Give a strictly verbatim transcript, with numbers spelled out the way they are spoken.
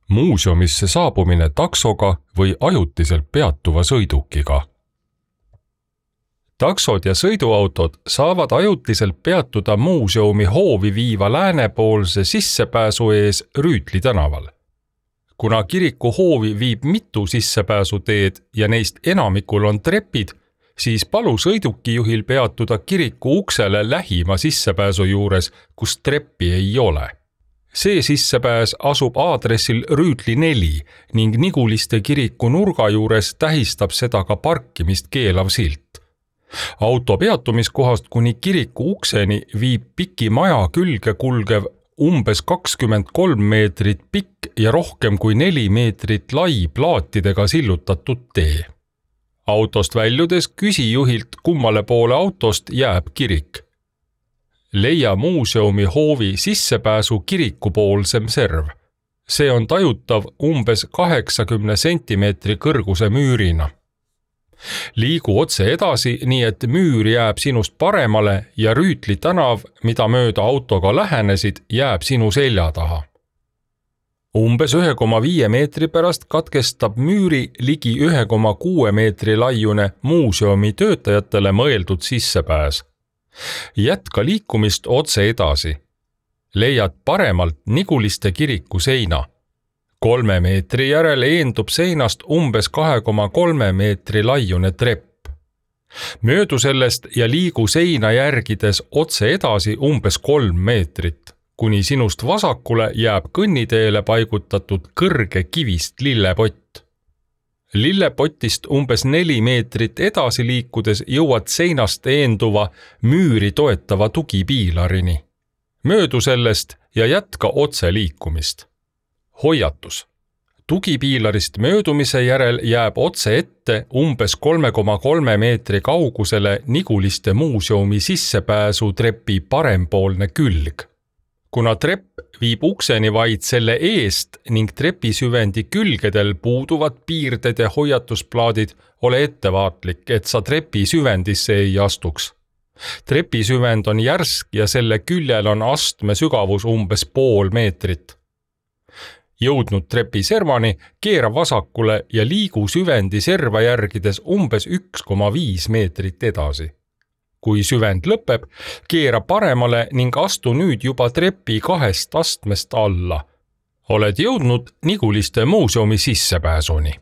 muuseumisse saabumine taksoga või ajutiselt peatuva sõidukiga. Taksod ja sõiduautod saavad ajutiselt peatuda muuseumi hoovi viiva läänepoolse sissepääsu ees Rüütli tänaval. Kuna kiriku hoovi viib mitu sissepääsuteed ja neist enamikul on trepid, siis palu sõidukijuhil peatuda kiriku uksele lähima sissepääsu juures, kus treppi ei ole. See sissepääs asub aadressil Rüütli neli ning Niguliste kiriku nurga juures tähistab seda ka parkimist keelav silt. Auto peatumiskohast kuni kiriku ukseni viib piki maja külge kulgev umbes kakskümmend kolm meetrit pikk ja rohkem kui neli meetrit lai plaatidega sillutatud tee. Autost väljudes küsi juhilt, kummale poole autost jääb kirik. Leia muuseumi hoovi sissepääsu kirikupoolsem serv. See on tajutav umbes kaheksakümne sentimeetri kõrguse müürina. Liigu otse edasi, nii et müür jääb sinust paremale ja Rüütli tänav, mida mööda autoga lähenesid, jääb sinu selja taha. Umbes ühe koma viie meetri pärast katkestab müüri ligi ühe koma kuue meetri laiune muuseumi töötajatele mõeldud sissepääs. Jätka liikumist otse edasi. Leiad paremalt Niguliste kiriku seina. Kolme meetri järel eendub seinast umbes kahe koma kolme meetri laiune trepp. Möödu sellest ja liigu seina järgides otse edasi umbes kolm meetrit, kuni sinust vasakule jääb kõnniteele paigutatud kõrge kivist lillepott. Lillepotist umbes neli meetrit edasi liikudes jõuad seinast eenduva müüri toetava tugipiilarini. Möödu sellest ja jätka otse liikumist. Hoiatus. Tugipiilarist möödumise järel jääb otse ette umbes kolme koma kolme meetri kaugusele Niguliste muuseumi sissepääsu trepi parempoolne külg. Kuna trepp viib ukseni vaid selle eest ning trepisüvendi külgedel puuduvad piirded ja hoiatusplaadid, ole ettevaatlik, et sa trepisüvendisse ei astuks. Trepisüvend on järsk ja selle küljel on astme sügavus umbes pool meetrit. Jõudnud trepi servani, keera vasakule ja liigu süvendi serva järgides umbes üks koma viis meetrit edasi. Kui süvend lõpeb, keera paremale ning astu nüüd juba trepi kahest astmest alla. Oled jõudnud Niguliste muuseumi sissepääsuni.